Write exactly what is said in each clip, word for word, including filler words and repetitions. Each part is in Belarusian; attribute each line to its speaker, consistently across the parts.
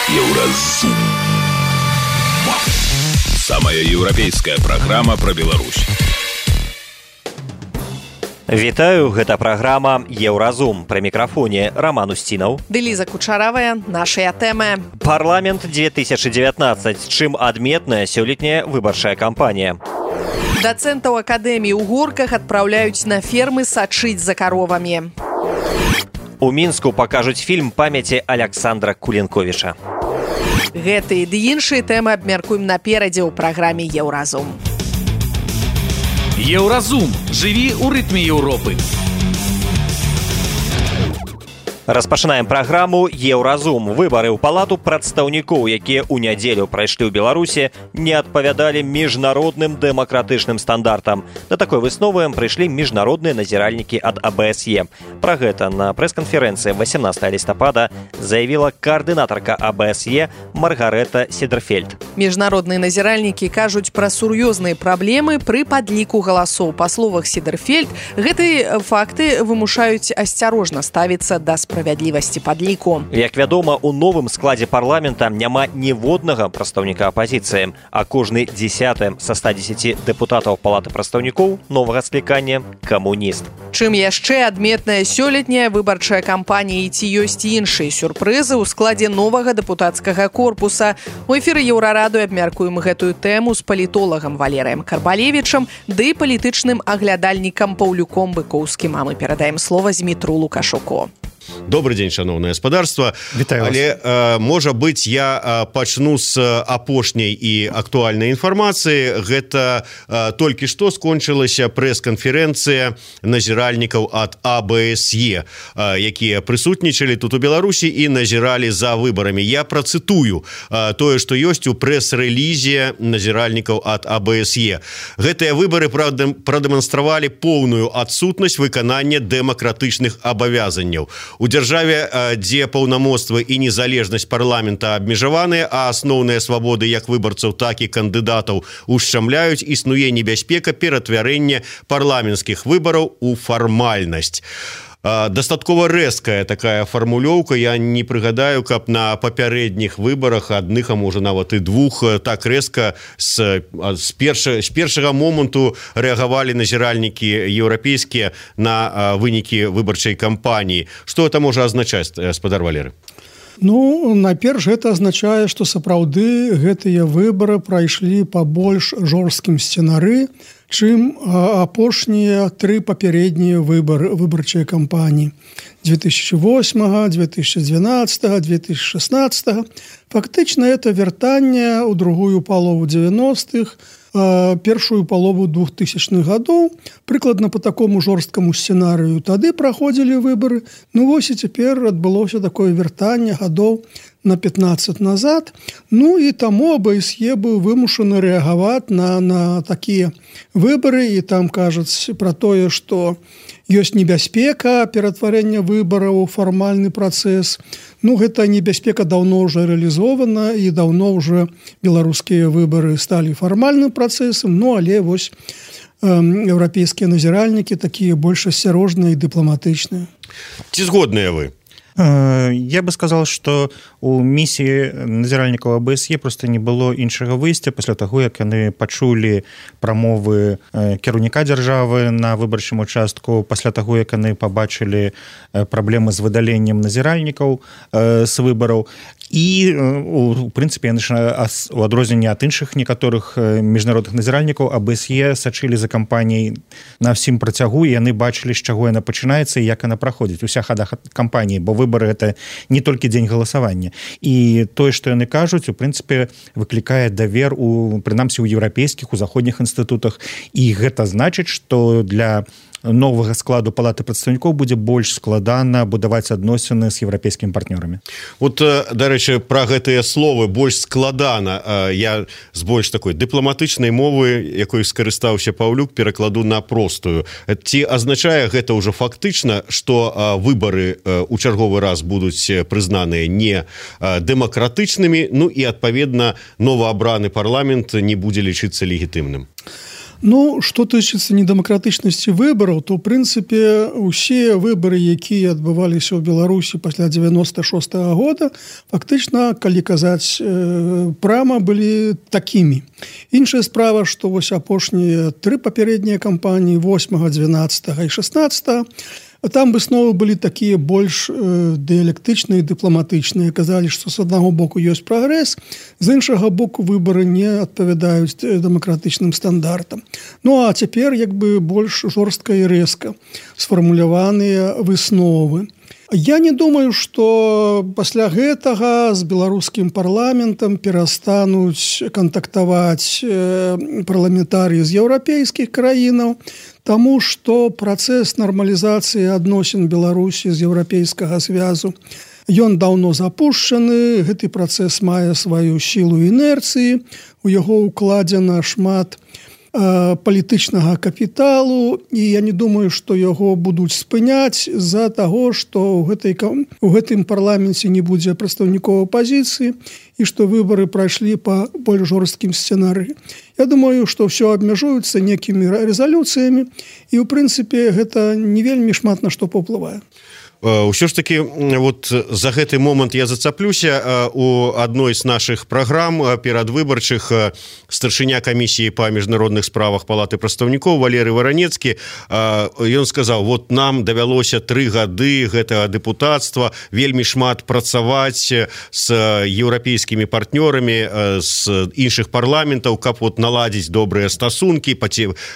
Speaker 1: Еўразум. Самая еўрапейская праграма пра Беларусь.
Speaker 2: Вітаю, гэта праграма «Еўразум». Пры мікрафоне Роман Устінаў.
Speaker 3: Ды Ліза Кучаравая. Нашыя тэмы.
Speaker 2: Парламент две тысячи девятнадцать. Чым адметная сёлетняя выбарчая кампанія?
Speaker 3: Дацэнтаў акадэміі ў Горках адпраўляюць на фермы сачыць за каровамі.
Speaker 2: У Мінску пакажуць фільм памяці Аляксандра Кулінковіча.
Speaker 3: Гэтыя ды іншыя тэмы абмяркуем наперадзе ў праграме «Еўразум».
Speaker 4: Еўразум. Жыві ў рытме Еўропы.
Speaker 2: Распачынаем праграму «Еўразум». Выбары ў палату прадстаўнікоў, якія ў нядзелю прайшлі ў Беларусі, не адпавядалі міжнародным дэмакратычным стандартам. Да такой высновы прыйшлі міжнародныя назіральнікі ад а бэ эс е. Пра гэта на прэс-канферэнцыі восемнадцатого лістапада заявіла каардынатарка а бэ эс е Маргарэта Седерфельд.
Speaker 3: Міжнародныя назіральнікі кажуць пра сур'ёзныя праблемы пры падліку галасоў. Па словах Седерфельд, гэтыя факты вымушаюць асцярожна ставіцца да справядлівасці падліку.
Speaker 2: Як вядома, у новым складзе парламента няма ніводнага прадстаўніка апазіцыі, а кожны дзесяты са ста дзесяці дэпутатаў палаты прадстаўнікоў новага склікання камуніст.
Speaker 3: Чым яшчэ адметная сёлетняя выбарчая кампанія і ці ёсць іншыя сюрпрызы ў складзе новага дэпутацкага корпуса. У эфіры Еўрарады абмяркуем гэтую тэму з палітолагам Валерыем Карбалевічам ды палітычным аглядальнікам Паўлюком Быкоўскім. А мы перадаем слова Змітру Лукашуку.
Speaker 5: Добрый день, шановное господарство.
Speaker 6: Вітаю вас.
Speaker 5: Але, э, можа быць, я э, пачну з апошняй і актуальнай інфармацыі. Гэта э, толькі што скончылася прэс-канферэнцыя назіральнікаў ад а бэ эс е, э, якія прысутнічалі тут у Беларусі і назіралі за выбарамі. Я працытую э, тое, што ёсць у прэс-рэлізе назіральнікаў ад а бэ эс е. Гэтыя выбары прадэманстравалі поўную адсутнасць выканання дэмакратычных абавязанняў. У дзяржаве, дзе паўнамоцтва і незалежнасць парламента абмежаваныя, а асноўныя свабоды як выбарцаў, так і кандыдатаў ушчамляюць, існуе небяспека ператвярэння парламенцкіх выбараў у фармальнасць. Дастаткова рэзкая такая фармулёўка. Я не прыгадаю, каб на папярэдніх выбарах адных, а можа нават і двух, так рэзка з, з, перша, з першага моманту рэагавалі назіральнікі еўрапейскія на вынікі выбарчай кампаніі. Што гэта можа азначаць, спадар Валеры?
Speaker 6: Ну, найперш, гэта азначае, што сапраўды гэтыя выбары прайшлі па больш жорсткім сцэнары, чым апошнія тры папярэднія выбары выбарчыя кампаніі две тысячи восьмого, две тысячи двенадцатого, две тысячи шестнадцатого. Фактычна это вяртанне ў другую палову дзевяностых, першую палову двухтысячных гадоў, прыкладна по такому жорсткаму сцэнарыю тады праходзілі выбары. Ну вось і цяпер адбылося такое вяртанне гадоў на пятнадцать назад. Ну і таму а бэ эс е быў вымушаны рэагаваць на, на такія выбары, і там кажуць пра тое, што ёсць небяспека ператварэння выбараў у фармальны працэс. Ну, гэта небяспека даўно ўжо рэалізована, і даўно ўжо беларускія выбары сталі фармальным працэсам. Ну, але вось э, еўрапейскія назіральнікі такія больш асцярожныя і дыпламатычныя.
Speaker 5: Ці згодныя вы?
Speaker 7: Я бы сказал, что у місіі назіральнікаў а бэ эс е просто не было іншага выйсця пасля таго, як яны пачулі прамовы кіраўніка дзяржавы на выбарчым участку, пасля таго, як яны пабачылі праблемы з выдаленнем назіральнікаў з выбараў. І, у прынцыпе, яны у адрозненне ад іншых некаторых міжнародных назіральнікаў а бэ эс е сачылі за кампаніяй на ўсім працягу, і яны бачылі, з чаго яна пачынаецца і як яна праходзіць. Уся хада кампаніі, бо выбары гэта не толькі дзень галасавання. І тое, што яны кажуць, у прынцыпе, выклікае давер у, прынамсі, у еўрапейскіх, у заходніх інстытутах. І гэта значыць, што для новага складу палаты прадстаўнікоў будзе больш складана будаваць адносіны з еўрапейскімі партнёрамі.
Speaker 5: Вот, дарэчы, пра гэтыя словы больш складана. Я з больш такой дыпламатычнай мовы, якой скарыстаўся Паўлюк, перакладу на простую. Ці азначае гэта ўжо фактычна, што выбары у чарговы раз будуць прызнаныя не дэмакратычнымі, ну і, адпаведна, новаабраны парламент не будзе лічыцца легітымным?
Speaker 6: Ну, што тычыцца недэмакратычнасці выбараў, то, ў прынцыпе, усе выбары, якія адбываліся ў Беларусі пасля девяносто шостого года, фактычна, калі казаць э, прама, былі такімі. Іншая справа, што вось апошнія тры папярэднія кампаніі, восьмага, двенадцатага і шестнадцатага, там высновы былі такія больш э, дыялектычныя і дыпламатычныя. Казалі, што з аднаго боку ёсць прагрэс, з іншага боку выбары не адпавядаюць дэмакратычным стандартам. Ну а цяпер як бы больш жорстка і рэзка сфармуляваныя высновы. Я не думаю, што пасля гэтага з беларускім парламентам перастануць кантактаваць э, парламентарыі з еўрапейскіх краінаў, таму што працэс нармалізацыі адносін Беларусі з еўрапейскага звязу ён даўно запушчаны, гэты працэс мае сваю сілу інерцыі, у яго ўкладзена шмат э, палітычнага капіталу, і я не думаю, што яго будуць спыняць з-за таго, што ў, гэтай, у гэтым парламенце не будзе прадстаўнікоў апазіцыі і што выбары прайшлі па больш жорсткім сцэнары. Я думаю, што ўсё абмяжуецца некімі рэзалюцыямі і, ў прынцыпе, гэта не вельмі шмат на што паўплывае.
Speaker 5: Ўсё ж таки вот за гэты момант я зацаплюся. У адной з нашых праграм перадвыбарчых старшыня камісіі па міжнародных справах палаты прадстаўнікоў Валерый Варанецкі, ён сказаў, вот нам давялося тры гады гэтага дэпутацтва вельмі шмат працаваць з еўрапейскімі партнёрамі з іншых парламентаў, каб вот наладзіць добрыя стасункі,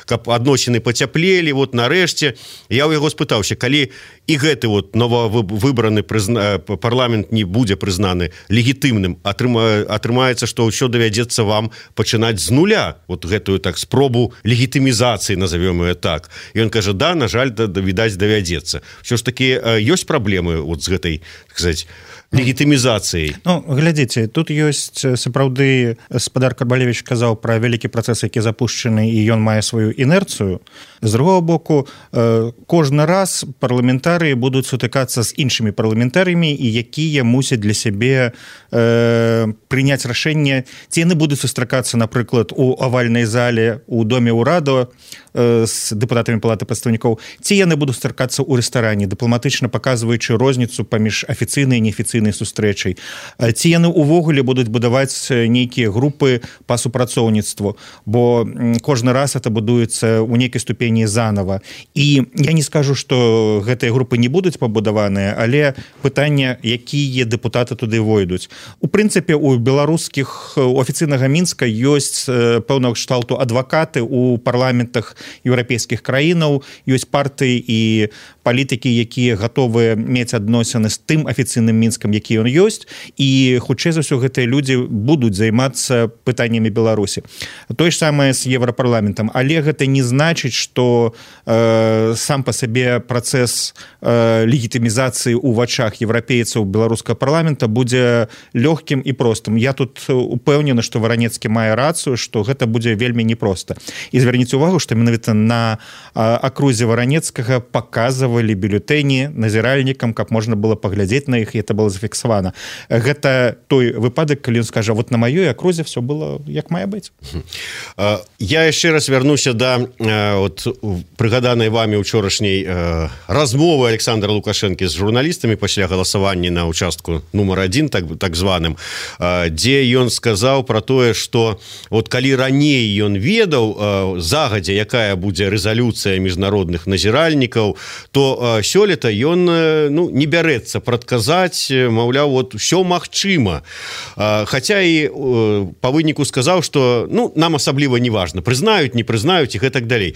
Speaker 5: каб адносіны пацяплелі. Вот нарэшце я ў яго спытаўся, калі і гэты вот нововыбраны прызна... парламент не будзе прызнаны легітымным, атрыма... атрымаецца, што ўсё давядзецца вам пачынаць з нуля, вот гэтую так спробу легітымізацыі, назовём ее так. І ён кажа, да, на жаль, да, відаць, давядзецца. Ўсё ж такі ёсць праблемы вот з гэтай, так сказать, легітымізацыяй.
Speaker 7: Ну, глядзіце, тут ёсць сапраўды, спадар Карбалевіч казаў пра вялікі працэс, які запушчаны, і ён мае сваю інерцыю. З другого боку, кожны раз парламентарыі будуць сутыкацца з іншымі парламентарыямі, і якія мусяць для сябе э, прыняць рашэнне, ці яны будуць сустракацца, напрыклад, у авальнай зале у доме ўраду э, з дэпутатамі палаты прадстаўнікоў, ці яны будуць сустракацца ў рэстаране, дыпламатычна паказваючы розніцу паміж афіцыйнай і неафіцыйнай сустрэчай. Ці яны ўвогуле будуць будаваць нейкія групы па супрацоўніцтву, бо кожны раз это будуецца ў нейкай ступені заново. І я не скажу, што гэтыя групы не будуць пабудаваныя, але пытанне, якія дэпутаты туды войдуць. У прынцыпе, у беларускіх, у афіцыйнага Мінска ёсць пэўнага кшталту адвакаты у парламентах еўрапейскіх краінаў, ёсць партыі і палітыкі, якія гатовыя мець адносіны з тым афіцыйным Мінскам, які ён ёсць, і хутчэй за ўсё гэтыя людзі будуць займацца пытаннямі Беларусі. Тое ж самае з Еўрапарламентам, але гэта не значыць, што э, сам па сабе працэс э, легітымізацыі ў вачах еўрапейцаў беларускага парламента будзе лёгкім і простым. Я тут упэўнены, што Варанецкі мае рацыю, што гэта будзе вельмі непроста. І звярніце ўвагу, што менавіта на э, акрузе Варанецкага паказвалі бюлетэні назіральнікам, каб можна было паглядзець на іх, і это было зафіксавана. Гэта той выпадак, калі ён скажа, вот на маёй акрузе все было як мае быць.
Speaker 5: Я яшчэ раз вярнуся да вот прыгаданай вами учорашняй э, размовы Александра Лукашэнкі з журналістамі пасля галасавання на участку нумар адзін, так, так званым, э, дзе ён сказаў пра тое, што вот калі раней ён ведаў э, загадзя, якая будзе рэзалюцыя міжнародных назіральнікаў, то э, сёлета ён э, ну, не бярэцца прадказаць, маўляў, вот ўсё магчыма. Э, хаця і э, па выніку сказаў, што ну, нам асабліва не важна, прызнаюць, не прызнаюць і гэтак далей.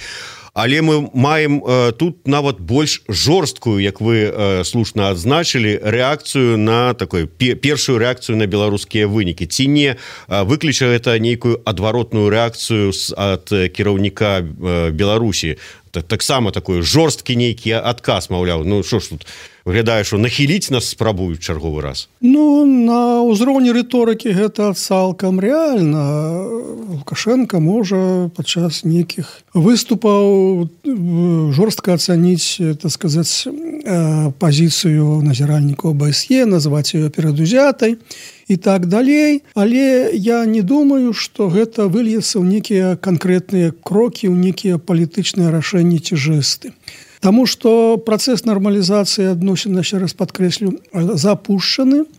Speaker 5: Але мы маем э, тут нават больш жорсткую, як вы э, слушна адзначылі, рэакцыю на такой пе першую рэакцыю на беларускія вынікі. Ці не э, выкліча гэта нейкую адваротную рэакцыю ад кіраўніка э, Беларусі. Таксама такой жорсткі нейкі адказ, маўляў, ну што ж тут выглядае, што нахіліць нас спрабуюць чарговы раз.
Speaker 6: Ну, на ўзроўні рыторыкі гэта цалкам рэальна. Лукашенко можа падчас нейкіх выступаў жорстка ацаніць, так сказаць, пазіцыю назіральнікаў ОБСЕ, назваць ее перадузятай. і так далей. Але я не думаю, што гэта выльецца ў нейкія канкрэтныя крокі, ў нейкія палітычныя рашэнні ці жэсты. Таму што працэс нармалізацыі адносін, яшчэ раз падкрэслю, запушчаны.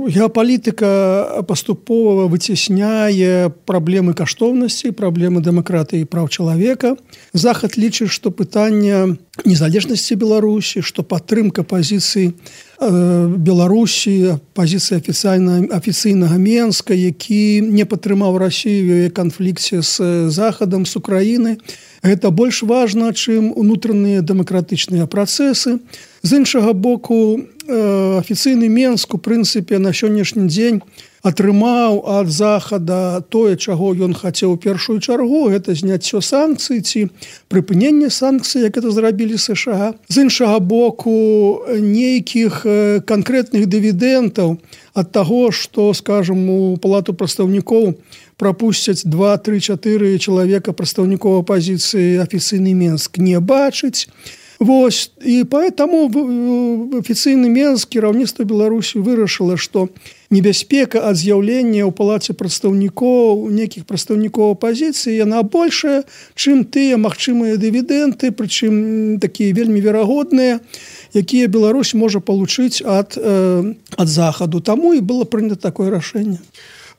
Speaker 6: Геапалітыка паступова выцесняе праблемы каштоўнасці, праблемы дэмакратыі і праў чалавека. Захад лічыць, што пытанне незалежнасці Беларусі, што падтрымка пазіцыі Беларусі, пазіцыі афіцыйнага Менска, які не падтрымаў Расію ў яе канфлікце з Захадам, з Украінай, гэта больш важна, чым унутраныя дэмакратычныя працэсы. З іншага боку, афіцыйны Менск, у прынцыпе, на сённяшні дзень атрымаў ад Захада тое, чаго ён хацеў у першую чаргу, гэта зняццё санкцый ці прыпыненне санкцый, як это зрабілі США. З іншага боку, нейкіх канкрэтных дывідэнтаў ад таго, што, скажам, у палату прадстаўнікоў прапусцяць два, тры, чатыры чалавека прадстаўнікоў апазіцыі афіцыйны Менск не бачыць. Вось, і поэтому афіцыйны Менск, кіраўніцтва Беларусі вырашыла, што небяспека ад з'яўлення ў палаце прадстаўнікоў, нейкіх прадстаўнікоў апазіцыі, яна большая, чым тыя магчымыя дывідэнты, прычым такія вельмі верагодныя, якія Беларусь можа получыць ад, э, ад Захаду. Таму і было прынята такое рашэнне.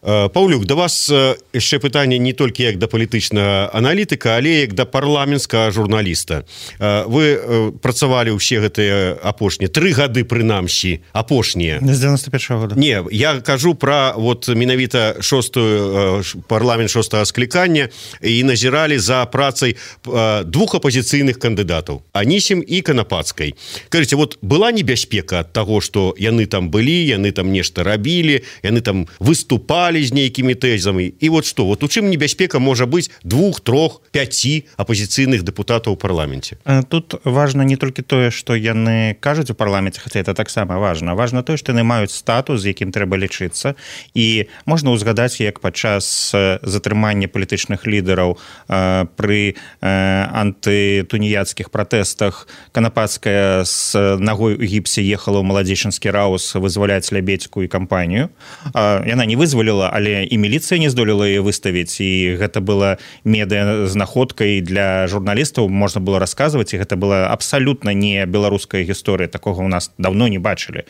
Speaker 5: Паўлюк, да вас яшчэ пытанне не толькі як да палітычнага аналітыка, але як да парламенцкага журналіста. Вы працавалі ўсе гэтыя апошнія тры гады, прынамсі, апошнія.
Speaker 7: З дзевяносто першага года.
Speaker 5: Не, я кажу пра вот менавіта шостую парламент шостага склікання і назіралі за працай двух апозіцыйных кандыдатаў, Анісім і Канапацкай. Кажыце, вот была небяспека ад таго, што яны там былі, яны там нешта рабілі, яны там выступалі з нейкімі тэзамі. І вот што, вот у чым небяспека можа быць двух, трох, пяці апозіцыйных дэпутатаў у парламенце?
Speaker 7: Тут важна не толькі тое, што яны кажуць у парламенце, хаця это таксама важна. Важна тое, што яны маюць статус, з якім трэба лічыцца. І можна ўзгадаць, як падчас затрымання палітычных лідараў пры антытуніяцкіх пратэстах Канапацкая з нагой у гіпсе ехала ў маладзечанскі раус вызваляць Лябедзьку і кампанію. Яна не вызваліла, але і міліцыя не здолела яе выставіць, і гэта была медыа-знаходкай для журналістаў, можна было расказваць, і гэта была абсалютна не беларуская гісторыя, такога ў нас даўно не бачылі.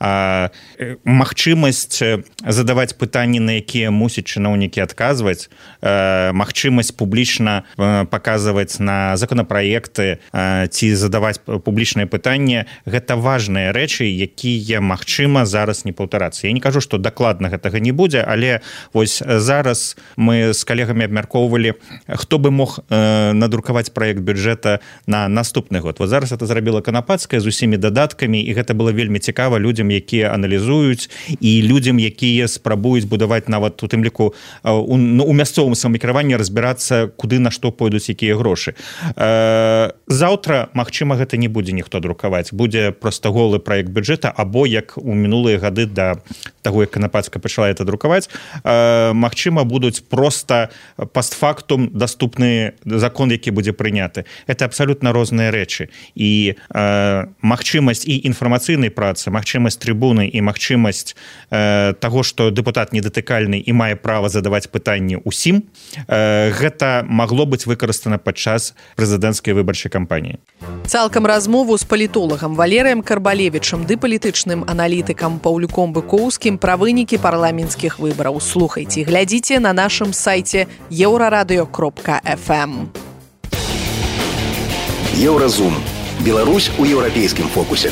Speaker 7: А, магчымасць задаваць пытанні, на якія мусяць чыноўнікі адказваць, а, магчымасць публічна паказваць на законапраекты а, ці задаваць публічныя пытанні, гэта важныя рэчы, якія магчыма зараз не паўтарацца. Я не кажу, што дакладна гэтага не будзе, але вось зараз мы з калегамі абмяркоўвалі, хто бы мог а, надрукаваць праект бюджэта на наступны год. Вот зараз это зрабіла Канапацкая з усімі дадаткамі, і гэта было вельмі цікава людзям, якія аналізуюць, і людзям, якія спрабуюць будаваць нават у тым ліку у, у мясцовым самакіраванні разбірацца, куды на што пойдуць якія грошы. Заўтра, магчыма, гэта не будзе ніхто друкаваць. Будзе проста голы праект бюджэта, або як у мінулыя гады да таго, як Канапацкая пачала это друкаваць, магчыма, будуць проста пастфактум даступны закон, які будзе прыняты. Это абсалютна розныя рэчы. І магчымасць і інфармацыйнай працы, магчымасць трыбуны і магчымасць э, таго, што дэпутат недатыкальны і мае права задаваць пытанні ўсім, э, гэта магло быць выкарыстана падчас прэзідэнцкай выбарчай кампаніі.
Speaker 3: Цалкам размову з палітолагам Валерыем Карбалевічам ды палітычным аналітыкам Паўлюком Быкоўскім пра вынікі парламенцкіх выбараў слухайце, глядзіце на нашым сайце еўрарадыё кропка эф эм.
Speaker 8: Еўразум. Беларусь у еўрапейскім фокусе.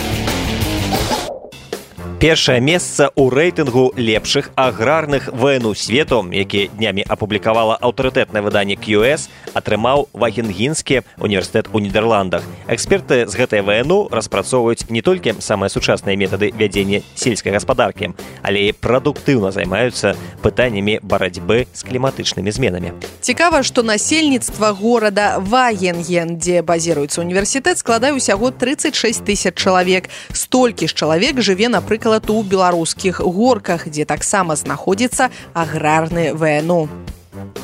Speaker 2: Першае месца ў рэйтынгу лепшых аграрных вн свету, які днямі апублікавала аўтарытэтнае выданне кью эс, атрымаў Вагенгенскі універсітэт у Нідерландах. Эксперты з гэтай вн распрацоўваюць не толькі самыя сучасныя метады вядзення сельскай гаспадаркі, але і прадуктыўна займаюцца пытаннямі барацьбы з кліматычнымі зменамі.
Speaker 3: Цікава, што насельніцтва горада Вагенген, дзе базіруецца універсітэт, складае ўсяго трыццаць шэсць тысяч чалавек. Столькі ж чалавек жыве, напрыклад, у беларускіх горках, дзе таксама знаходзіцца аграрны вэ эн у.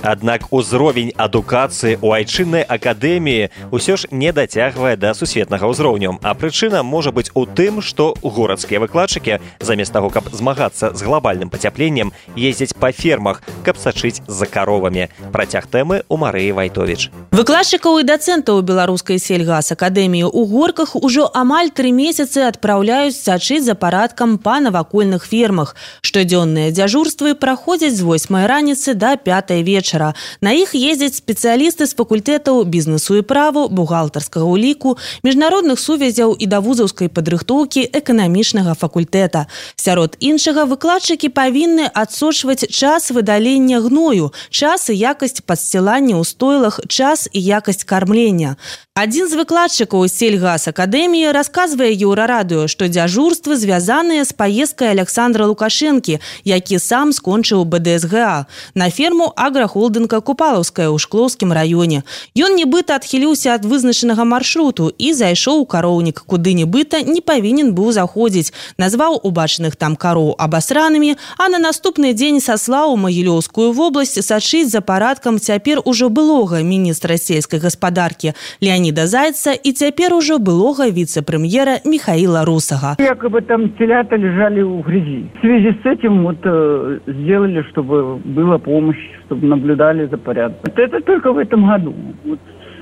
Speaker 2: Аднак узровень адукацыі ў айчыннай акадэміі ўсё ж не дацягвае да сусветнага ўзроўню, а прычына можа быць у тым, што горадскія выкладчыкі замест таго, каб змагацца з глобальным пацяпленнем, ездзяць па фермах, каб сачыць за каровамі. Працяг тэмы у Марыі Вайтовіч.
Speaker 9: Выкладчыкаў і дацэнтаў беларускай сельгасакадэміі ў Горках ужо амаль тры месяцы адпраўляюць сачыць за парадкам па навакольных фермах. Штодзённыя дзяжурствы праходзяць з восьмай раніцы да пятай вечара. На іх ездзяць спецыялісты з факультэтаў бізнесу і праву, бухгалтарскага ўліку, міжнародных сувязяў і да вузаўскай падрыхтоўкі эканамічнага факультэта. Сярод іншага, выкладчыкі павінны адсочваць час выдалення гною, час і якасць падсцілання ў стойлах, час і якасць кармлення. Адзін з выкладчыкаў сельгасакадэміі расказвае Еўрарадыё, што дзяжурствы звязаныя з паездкай Александра Лукашэнкі, які сам скончыў бэ дэ эс гэ а, на ферму аграхолдынга Купалаўская ў Шклоўскім раёне. Ён нібыта адхіліўся ад вызначанага маршруту і зайшоў у кароўнік, куды нібыта не павінен быў заходзіць, назваў убачаных там кароў абасранымі, а на наступны дзень саслаў у Магілёўскую вобласць сачыць за парадкам цяпер ужо былога міністра сельскай гаспадаркі Леонида Зайца и теперь уже былого вице-премьера Михаила Русага.
Speaker 10: Якобы там телята лежали в грязи. В связи с этим вот э, сделали, чтобы была помощь, чтобы наблюдали за порядком. Это, это только в этом году, вот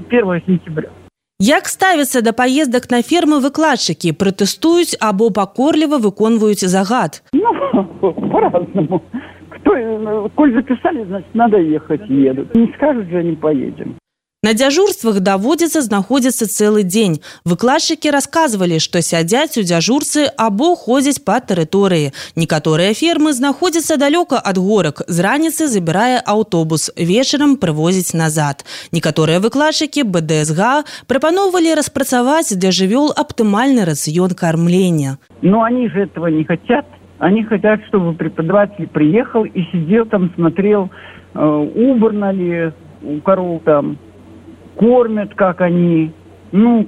Speaker 10: первого сентября.
Speaker 9: Як ставяцца да паездак на фермы выкладчыкі, пратэстуюць або пакорліва выконваюць загад?
Speaker 10: Ну, по-разному. Кто, коль записали, значит, надо ехать, едут. Не скажут же, не поедем.
Speaker 9: На дзяжурствах даводзіцца знаходзіцца цэлы дзень. Выкладчыкі расказвалі, што сядзяць у дзяжурцы або ходзяць па тэрыторыі. Некаторыя фермы знаходзяцца далёка ад горак. З раніцы забірае аўтобус, вечарам прывозіць назад. Некаторыя выкладчыкі бэ дэ эс гэ а прапаноўвалі распрацаваць для жывёл аптымальны рацыён кармлення.
Speaker 10: Но они же этого не хотят. Они хотят, чтобы преподаватель приехал и сидел там, смотрел, э, убрано ли у коров там, кормят, как они. Ну,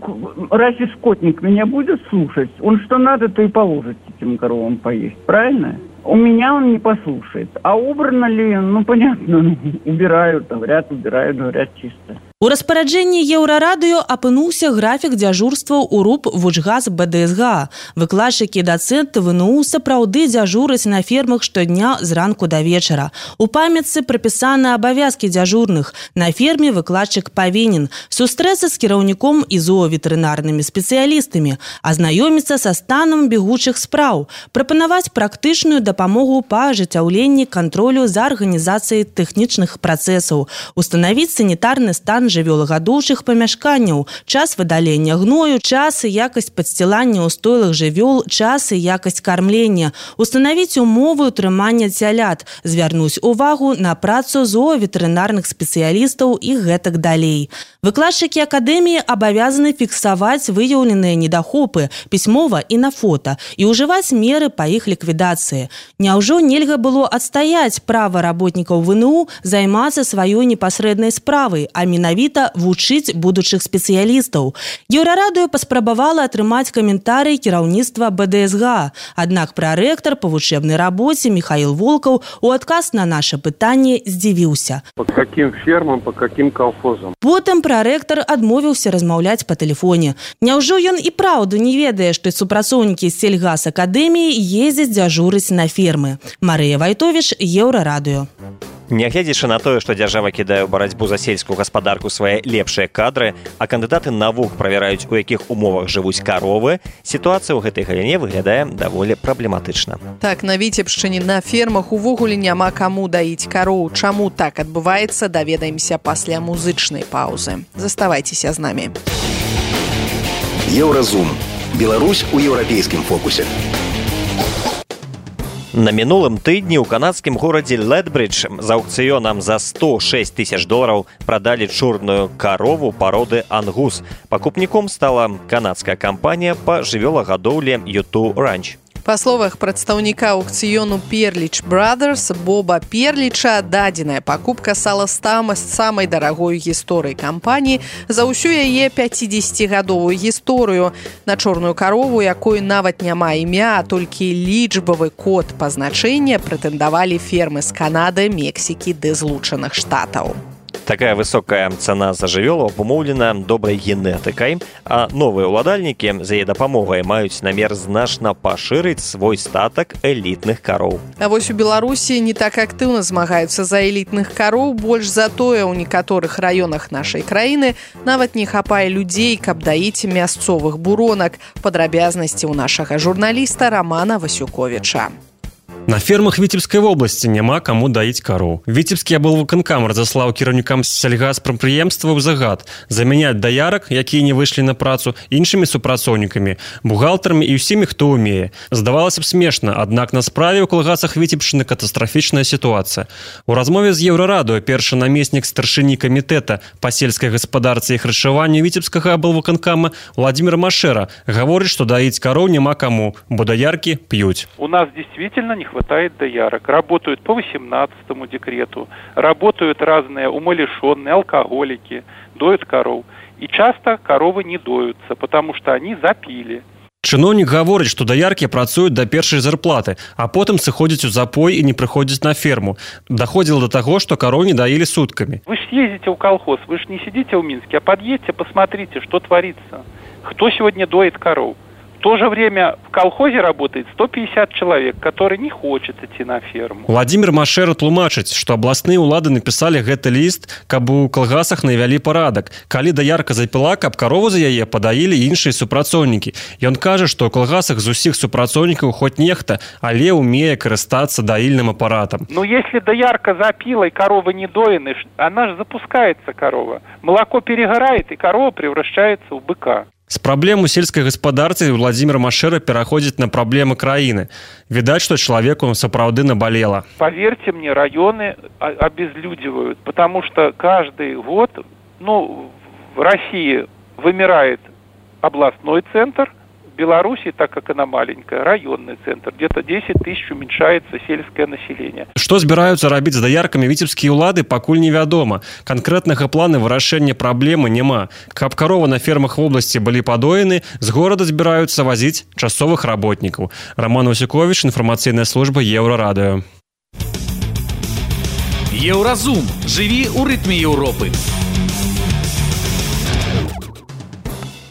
Speaker 10: разве скотник меня будет слушать? Он что надо, то и положит этим коровам поесть, правильно? У меня он не послушает. А убрано ли, ну, понятно, ну, убирают, говорят, убирают, говорят, чисто.
Speaker 9: У распараджэнні Еўрарадыё апынуўся графік дзяжурстваў у РУП Вучгаз бэ дэ эс гэ а. Выкладчыкі і дацэнты вэ эн у сапраўды дзяжураць на фермах штодня з ранку да вечара. У памятцы прапісаны абавязкі дзяжурных. На ферме выкладчык павінен сустрэцца з кіраўніком і зооветэрынарнымі спецыялістамі, азнаёміцца са станам бегучых спраў, прапанаваць практычную дапамогу па ажыццяўленні кантролю за арганізацыяй тэхнічных працэсаў, устанавіць санітарны стан жывёлагадоўчых памяшканняў, час выдалення гною, час і якасць падсцілання ў стойлах жывёл, час і якасць кармлення, устанавіць умовы ўтрымання цялят, звярнуць увагу на працу зооветэрынарных спецыялістаў і гэтак далей. Выкладчыкі акадэміі абавязаны фіксаваць выяўленыя недахопы пісьмова і на фота і ўжываць меры па іх ліквідацыі. Няўжо нельга было адстаяць права работнікаў вэ эн у займацца сваёй непасрэднай справай, а менавіта вучыць будучых спецыялістаў? Еўрарадыё паспрабавала атрымаць каментарый кіраўніцтва бэ дэ эс гэ а. Аднак прарэктар па вучэбнай рабоце Михаил Волкаў у адказ на наша пытанне здзівіўся.
Speaker 11: По каким фермам, по каким колхозам?
Speaker 9: Потым прарэктар адмовіўся размаўляць па тэлефоне. Няўжо ён і праўду не ведае, што супрацоўнікі сельгасакадэміі ездзяць дзяжурыць на фермы? Марыя Вайтовіч, Еўрарадыё.
Speaker 2: Нягледзячы на тое, што дзяржава кідае ў барацьбу за сельскую гаспадарку свае лепшыя кадры, а кандыдаты навук правяраюць, у якіх умовах жывуць каровы, сітуацыя ў гэтай галіне выглядае даволі праблематычна.
Speaker 3: Так, на Віцебшчыне на фермах увогуле няма каму даіць кароў. Чаму так адбываецца, даведаемся пасля музычнай паўзы. Заставайцеся з намі.
Speaker 8: Еўразум. Беларусь у еўрапейскім фокусе.
Speaker 2: На мінулым тыдні ў канадскім горадзе Ледбридж за аукцыёнам за сто шэсць тысяч долараў прадалі чорную карову пароды ангус. Пакупніком стала канадская кампанія па жывёлагадоўлі ю ту Ranch.
Speaker 3: Па словах прадстаўніка аукцыёну Перліч Brothers Боба Перліча, дадзеная пакупка сала стала самай дарагой гісторыі кампаніі за ўсю яе пяцідзесяцігадовую гісторыю. На чорную карову, якой нават няма імя, а толькі лічбавы код пазначэння, прэтэндавалі фермы з Канады, Мексікі ды Злучаных Штатаў.
Speaker 2: Такая высокая цана за жывёлу абумоўлена добрай генетыкай, а новыя ўладальнікі за яе дапамогай маюць намер значна пашырыць свой статак элітных кароў.
Speaker 3: А вось у Беларусі не так актыўна змагаюцца за элітных кароў, больш за тое ў некаторых раёнах нашай краіны нават не хапае людзей, каб даіць мясцовых буронак. Падрабязнасці ў нашага журналіста Романа Васюковіча.
Speaker 12: На фермах Віцебскай вобласці няма каму даіць кароў. Віцебскі аблвыканкам разаслаў кіраўнікам сельгаспрадпрыемстваў загад замяняць даярак, якія не выйшлі на працу, іншымі супрацоўнікамі, бухгалтарамі і ўсімі, хто ўмее. Здавалася б, смешна, аднак на справе ў калгасах Віцебшчыны катастрафічная сітуацыя. У размове з Еўрарадыё першы намеснік старшыні камітэта па сельскай гаспадарцы і харчаванню Віцебскага аблвыканкама Владимир Машера гаворыць, што даіць кароў няма каму, бо даяркі п'юць.
Speaker 11: У нас действительно не хватает доярок. Работают по восемнадцатому декрету, работают разные умалишенные, алкоголики, доют коров. И часто коровы не доются, потому что они запили.
Speaker 12: Чыноўнік гаворыць, што даяркі працуюць да першай зарплаты, а потым сыходзяць у запой і не прыходзяць на ферму. Даходзіла да таго, што кароў не даілі суткамі.
Speaker 11: Вы ж съездите в колхоз, вы ж не сидите в Минске, а подъедьте, посмотрите, что творится. Кто сегодня доит коров? В то же время в колхозе работает сто пятьдесят человек, которые не хочет идти на ферму.
Speaker 12: Владимир Машера тлумачыць, што абласныя ўлады напісалі гэты ліст, каб у калгасах навялі парадак. Калі даярка запіла, каб карову за яе падаілі іншыя супрацоўнікі. Ён кажа, што ў калгасах з усіх супрацоўнікаў хоць нехта, але ўмее карыстацца даільным апаратам.
Speaker 11: Но если доярка запила и корова не доены, она же запускается, корова. Молоко перегорает, и корова превращается в быка.
Speaker 12: З праблем у сельскай гаспадарцы Владимир Машера пераходзіць на праблемы краіны. Відаць, што чалавеку сапраўды набалела.
Speaker 11: Поверьте мне, районы обезлюдивают, потому что каждый год, ну, в России вымирает областной центр, в Беларуси, так как она маленькая, районный центр. Где-то десять тысяч уменьшается сельское население.
Speaker 12: Што збіраюцца рабіць з даяркамі віцебскія ўлады, пакуль невядома. Канкрэтнага плана вырашэння праблемы няма. Каб каровы на фермах вобласці былі падоены, з горада збіраюцца вазіць часовых работнікаў. Роман Васюкович, інфармацыйная служба Еўрарадыё.
Speaker 4: Еўразум. Жыві ў рытме Еўропы.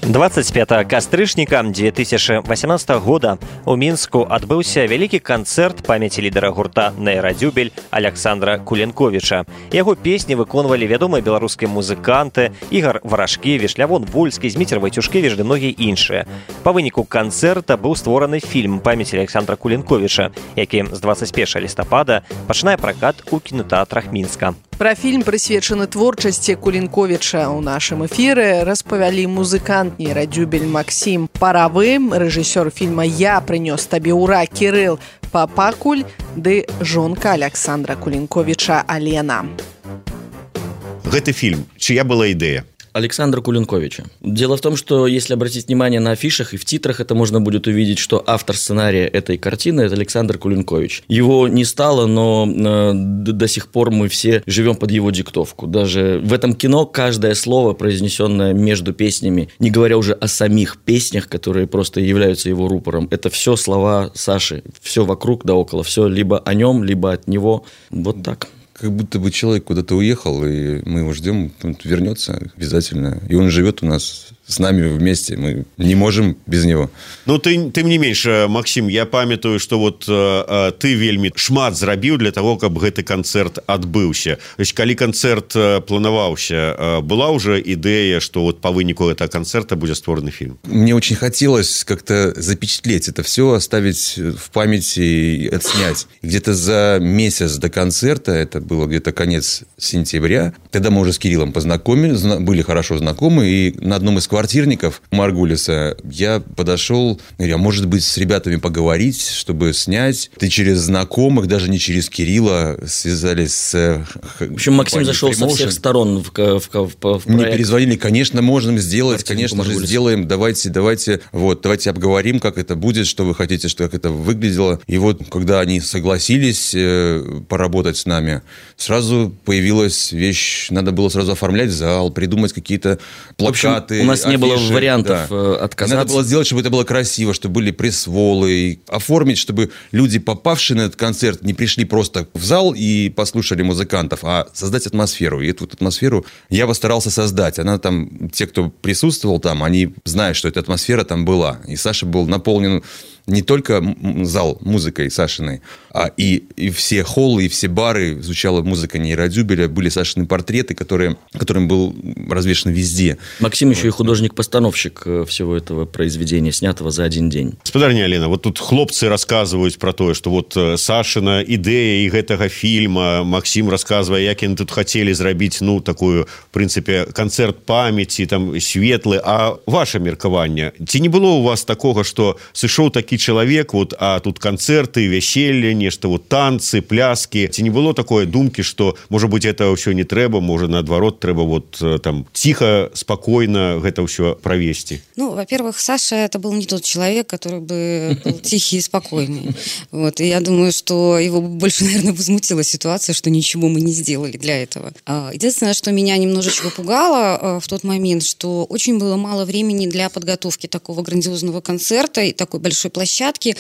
Speaker 2: двадцать пятого кастрычніка две тысячи восемнадцатого года у Мінску адбыўся вялікі канцэрт памяці лідара гурта «Нейрадзюбель» Александра Кулінковіча. Яго песні выконвалі вядомыя беларускія музыканты Ігар Варашкевіч, Лявон Вольскі, Зміцер Вайцюшкевіч ды многія іншыя. Па выніку канцэрта быў створаны фільм памяці Александра Кулінковіча, які з двадцать первого лістапада пачынае пракат у кінотэатрах Мінска.
Speaker 3: Пра фільм, прысвечаны творчасці Кулінковіча, у нашым эфіры распавялі музыкант Нейрадзюбель Максім Паравы, рэжысёр фільма «Я прынёс табе ура» Кірыл Папакуль ды жонка Александра Кулінковіча Алена.
Speaker 5: Гэты фільм, чья была ідэя?
Speaker 13: Александра Кулинковича. Дело в том, что если обратить внимание на афишах и в титрах, это можно будет увидеть, что автор сценария этой картины – это Александр Кулинкович. Его не стало, но э, до сих пор мы все живем под его диктовку. Даже в этом кино каждое слово, произнесенное между песнями, не говоря уже о самих песнях, которые просто являются его рупором, это все слова Саши, все вокруг да около, все либо о нем, либо от него. Вот так.
Speaker 14: Как будто бы человек куда-то уехал, и мы его ждем, он вернется обязательно. И он живет у нас с нами вместе, мы не можем без него.
Speaker 5: Ну, ты, тым не менш, Максим, я памятаю, что вот э, ты вельмі шмат зрабіў для того, каб гэты канцэрт адбыўся. То есть, калі канцэрт планаваўся, э, была уже идея, что вот по выніку этого концерта будет створаны фильм?
Speaker 14: Мне очень хотелось как-то запечатлеть это все, оставить в памяти и отснять. Где-то за месяц до концерта, это было где-то конец сентября, тогда мы уже с Кириллом познакомились, были хорошо знакомы, и на одном из квартирников Маргулиса, я подошел, говорю, а может быть с ребятами поговорить, чтобы снять. Ты через знакомых, даже не через Кирилла, связались с...
Speaker 13: В общем, Максим зашел со всех сторон в, в, в, в проект.
Speaker 14: Мне перезвонили, конечно, можем сделать, Картинку конечно Маргулиса. же сделаем, давайте, давайте, вот, давайте обговорим, как это будет, что вы хотите, что как это выглядело. И вот, когда они согласились э, поработать с нами, сразу появилась вещь, надо было сразу оформлять зал, придумать какие-то плакаты.
Speaker 13: В общем, у нас
Speaker 14: афиши,
Speaker 13: не было вариантов
Speaker 14: да.
Speaker 13: отказаться.
Speaker 14: И надо было сделать, чтобы это было красиво, чтобы были пресс-волы, оформить, чтобы люди, попавшие на этот концерт, не пришли просто в зал и послушали музыкантов, а создать атмосферу. И эту атмосферу я постарался создать. Она там, те, кто присутствовал там, они знают, что эта атмосфера там была. И Саша был наполнен не только зал музыкой Сашиной, а и, и все холлы, и все бары звучала музыка нейродюбеля, были Сашины портреты, которые, которым был развешен везде.
Speaker 13: Максим еще и художник-постановщик всего этого произведения, снятого за один день.
Speaker 5: Спадарня Алена, вот тут хлопцы рассказывают про то, что вот Сашина идея и гэтага фильма, Максим рассказывая, як они тут хотели зрабіць, ну, такую, в принципе, концерт памяти, там, светлый, а ваше меркаванне, ці не было у вас такого, что сышоў такі человек, вот, а тут концерты, вяселле, нешта, вот, танцы, пляски. Ці не было такой думки, что, может быть, это все не трэба, может, наоборот, трэба вот там тихо, спокойно это все провести?
Speaker 15: Ну, во-первых, Саша это был не тот человек, который бы был тихий и спокойный. Вот, и я думаю, что его больше, наверное, возмутила ситуация, что ничего мы не сделали для этого. Единственное, что меня немножечко пугало в тот момент, что очень было мало времени для подготовки такого грандиозного концерта и такой большой площадки. площадки,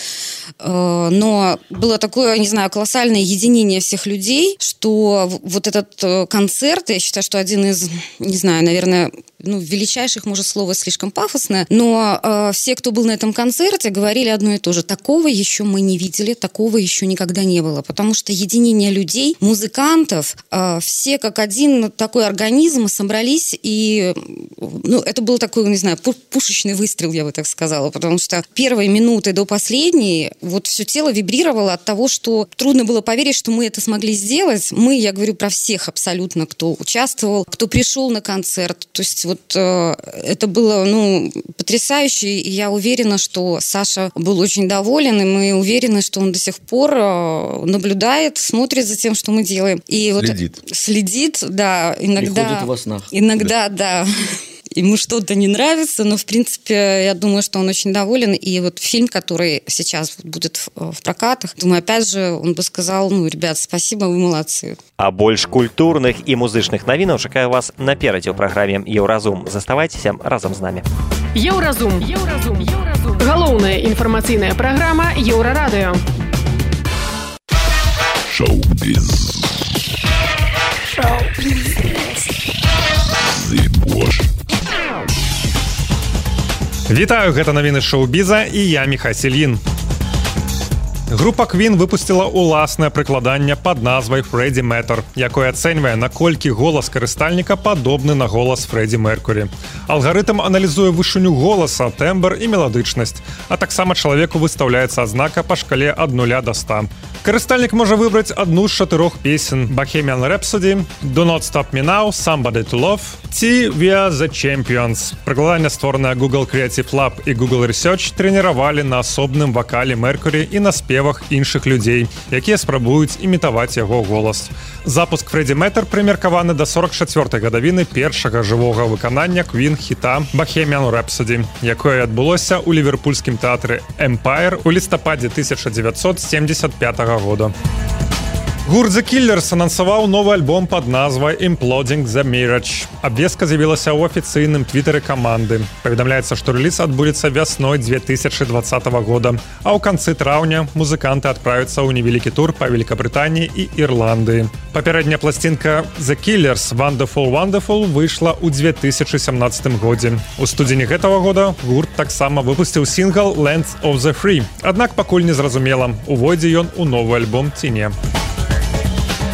Speaker 15: но было такое, не знаю, колоссальное единение всех людей, что вот этот концерт, я считаю, что один из, не знаю, наверное, ну, величайших, может, слово слишком пафосное, но э, все, кто был на этом концерте, говорили одно и то же. Такого еще мы не видели, такого еще никогда не было, потому что единение людей, музыкантов, э, все как один такой организм собрались, и ну, это был такой, не знаю, пушечный выстрел, я бы так сказала, потому что первые минуты до последней вот все тело вибрировало от того, что трудно было поверить, что мы это смогли сделать. Мы, я говорю про всех абсолютно, кто участвовал, кто пришел на концерт, то есть вот Вот, э, это было, ну, потрясающе, и я уверена, что Саша был очень доволен, и мы уверены, что он до сих пор э, наблюдает, смотрит за тем, что мы делаем. И
Speaker 14: следит.
Speaker 15: Вот, следит, да, иногда...
Speaker 13: Приходит во снах.
Speaker 15: Иногда, да. да. Ему что-то не нравится, но, в принципе, я думаю, что он очень доволен. И вот фильм, который сейчас будет в, в прокатах, думаю, опять же, он бы сказал, ну, ребят, спасибо, вы молодцы.
Speaker 2: А больш культурных і музычных навінаў чакаю вас наперадзе ў праграме «Еўразум». Заставайцеся разам з намі.
Speaker 16: Еўразум. Еўразум. Еўразум. Галоўная інфармацыйная праграма Еўрарадыё.
Speaker 1: Шоу-біз. Шоу-біз. Зыбош.
Speaker 17: Вітаю, гэта навіны шоу-біза і я Міхась Ільін. Група Queen выпусціла ўласнае прыкладанне пад назвай Freddie Matter, якое ацэньвае, наколькі голас карыстальніка падобны на голас Фрэдзі Меркурі. Алгарытм аналізуе вышыню голаса, тэмбр і меладычнасць, а таксама чалавеку выстаўляецца азнака па шкале ад нуля да ста. Карыстальнік можа выбраць адну з чатырох песен: Bohemian Rhapsody, Do Not Stop Me Now, Somebody to Love ці We Are The Champions. Прыкладанне, створанае Google Creative Lab і Google Research, трэніравалі на асобным вакале Меркурі і на спевах іншых людзей, якія спрабуюць імітаваць яго голас. Запуск Freddie Matter прымеркаваны да сорок чацвёртай гадавіны першага жывога выканання Queen хіта Bohemian Rhapsody, якое адбылося ў ліверпульскім тэатры Empire у лістападзе тысяча дзевяцьсот семьдесят пятага года. Гурт The Killers анансаваў новы альбом пад назвай Imploding the Mirage. Абвестка з'явілася ў афіцыйным твітары каманды. Паведамляецца, што рэліз адбудзецца вясной две тысячи двадцатого года, а ў канцы траўня музыканты адправяцца ў невялікі тур па Великабрытаніі і Ірландыі. Папярэдняя пласцінка The Killers Wonderful Wonderful выйшла ў две тысячи семнадцатым годзе. У студзені гэтага года гурт таксама выпусціў сінгл Lands of the Free, аднак пакуль не зразумела, увойдзе ён у новы альбом ці не.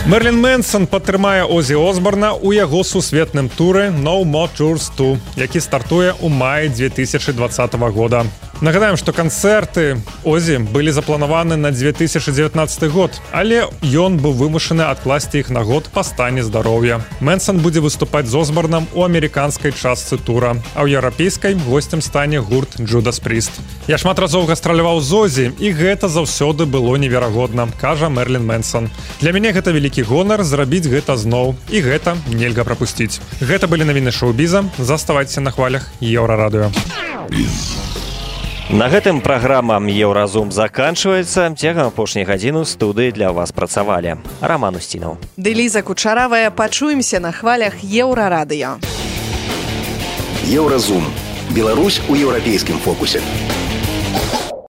Speaker 17: Мерлін Мэнсон падтрымае Озі Осборна ў яго сусветным туры No More Tours два, які стартуе ў маі две тысячи двадцатого года. Нагадаем, што канцэрты Озі былі запланаваны на две тысячи девятнадцатый год, але ён быў вымушаны адкласці іх на год па стане здароўя. Мэнсон будзе выступаць з Осборнам у амерыканскай частцы тура, а ў еўрапейскай госцем стане гурт Judas Priest. Я шмат разоў гастраляваў з Озі, і гэта заўсёды было неверагодна, кажа Мерлін Мэнсон. Для мяне гэта вялікі гонар зрабіць гэта зноў, і гэта нельга прапусціць. Гэта былі навіны шоу-біза. Заставайцеся на хвалях Еўрарадыё.
Speaker 2: На гэтым праграма «Еўразум» заканчваецца. Цягам апошняй гадзіны ў студыі для вас працавалі Роман Устінаў.
Speaker 3: Ды Ліза Кучаравая. Пачуемся на хвалях Еўрарадыё.
Speaker 8: Еўразум. Беларусь у еўрапейскім фокусе.